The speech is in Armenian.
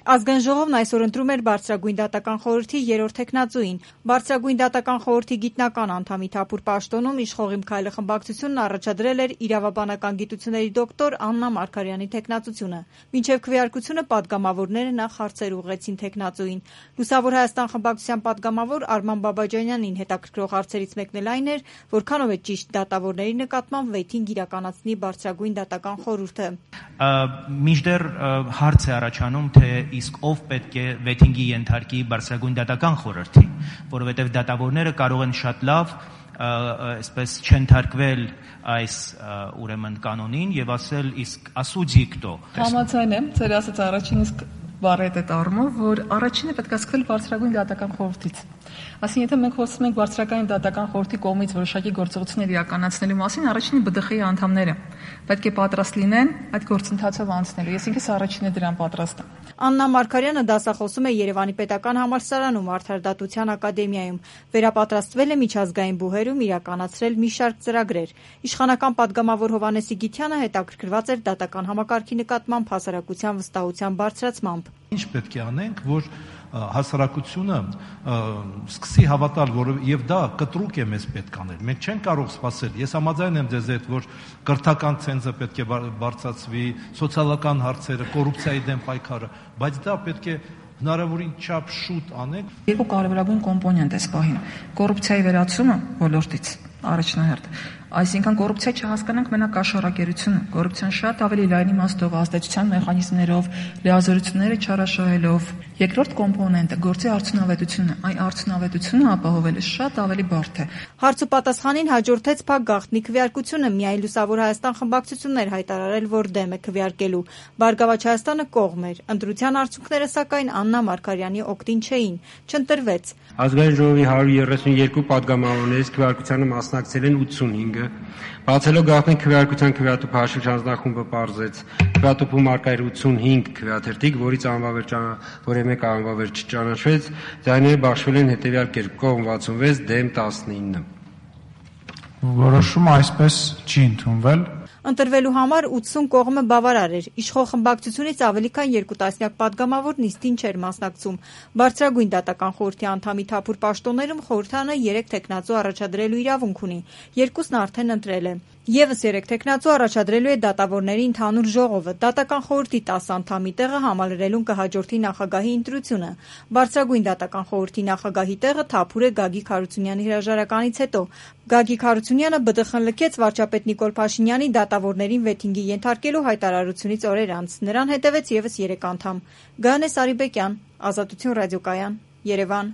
Ազգային ժողովն այսօր ընտրում էր Բարձրագույն դատական խորհրդի 3-րդ թեկնածուին։ Բարձրագույն դատական խորհրդի գիտնական անդամի Թափուր պաշտոնում Իշխող իմ քայլը խմբակցությունն առաջադրել էր իրավաբանական գիտությունների դոկտոր Աննա Մարգարյանի թեկնածությունը։ Մինչև քվեարկությունը պատգամավորները նախ հարցեր ուղղեցին թեկնածուին։ Լուսավոր Հայաստան խմբակցության պատգամավոր Արման Բաբաջանյանին հետաքրքրող հարցերից մեկն էլ այն էր, որքանով է ճիշտ դատավորների նկատմամբ վեյթինգ իրականացնի Բարձրագույն դատական խորհուրդը։ Մինչդեռ հարց է առաջանում, թե իսկ ով պետք է վեթինգի ենթարկի Բարձրագույն դատական խորհրդի, որովհետև դատավորները կարող են շատ լավ այսպես չենթարկվել այս ուրեմն կանոնին եւ ասել իսկ ասուդի կտո։ Համաձայն եմ, ձեր ասած առաջին իսկ բառը այդ առումով, որ առաջինը պետք է սկսել Բարձրագույն դատական խորհրդից։ Այսինքն, եթե մենք խոսում ենք Բարձրագույն դատական խորհրդի կողմից որոշակի գործողություններ իրականացնելու մասին, առաջինը ԲԴԽ-ի անդամները պետք է պատրաստ լինեն այդ գործընթացով անցնելու։ Ես ինքս առաջինը դրան պատրաստ եմ։ Աննա Մարգարյանը դասախոսում է Երևանի պետական համալսարանում Արդարադատության ակադեմիայում։ Վերապատրաստվել է միջազգային բուհերում իրականացրել մի շարք ծրագրեր։ Իշխանական պատգամավոր Հովհաննես Իգիթյանը հետաքրքրված էր դատական համակարգի նկատմամբ հասարակության վստահության բարձրացմամբ։ Ինչ պետք է անենք, որ հասարակությունը սկսի հավատալ, որ եւ դա կտրուկ է մեզ պետք անել։ Մենք չենք կարող սпасել։ Ես համաձայն եմ ձեզ հետ, որ կրթական ցենզը պետք է բարձրացվի, սոցիալական հարցերը, կոռուպցիայի դեմ պայքարը, բայց դա պետք է հնարավորին չափ շուտ անենք։ Երկու կարևորագույն կոմպոնենտ է սպահին։ Կոռուպցիայի վերացումը ոլորտից առաջնահերթ։ Այսինքն կոռուպցիա չհասկանանք մենակ աշխարհակերությունը, կոռուպցիան շատ ավելի լայն իմաստով ազդեցության մեխանիզմներով, լիազորությունները չարաշահելով։ Երկրորդ կոմպոնենտը գործի արդյունավետությունը, այն արդյունավետությունը ապահովելը շատ ավելի բարդ է։ Հարց ու պատասխանին հաջորդեց փակ գաղտնի քվեարկությունը, միայն Լուսավոր Հայաստան խմբակցությունն էր հայտարարել, որ դեմ է քվեարկելու։ Բարգավաճ Հայաստանը կողմ էր։ Ընտրության արդյունքները սակայն Աննա Մարգարյանի օգտին չէին, չընտրվեց։ Ազգային ժողովի 132 պատգամավորներից քվեարկությանը մասնակցել են 85-ը։ Բացելով գաղտնի քվեարկության քվեատուփ հաշիվ հանձնախումբը պարզեց քվեատուփում արկա էր 85 քվեաթերթիկ, որից որի մեկ անվավեր չճանաչվեց, ձայները բաշխվել են հետևյալ կերպ՝ կողմ 66, դեմ 19։ Որոշումը այսպես չի ընդունվել։ Ընտրվելու համար 80 կողմը բավարար էր։ Իշխող խմբակցությունից ավելի քան 2 տասնյակ պատգամավոր նիստին չէր մասնակցում։ Բարձրագույն դատական խորհրդի անդամի Թափուր պաշտոններում խորհրդանը 3 թեկնածու առաջադրելու իրավունք ունի։ Երկուսն արդեն ընտրել է։ Եվս 3 թեկնածու առաջադրելու է դատավորների ընդհանուր ժողովը։ Դատական խորհրդի 10 անդամի տեղը համալրելուն կհաջորդի նախագահի ընտրությունը։ Բարձրագույն դատական խորհրդի նախագահի տեղը Թափուր է Գագիկ Հարությունյանի հրաժարականից հետո։ Գագիկ Հարությունյանը ԲԴԽ-ն լքեց վարչապետ Նիկոլ Փաշինյանի դատավորներին վեթինգի ենթարկելու հայտարարությունից օրեր անց։ Նրան հետևեց եւս 3 անդամ։ Գայանե Սարիբեկյան, Ազատություն ռադիոկայան, Երևան։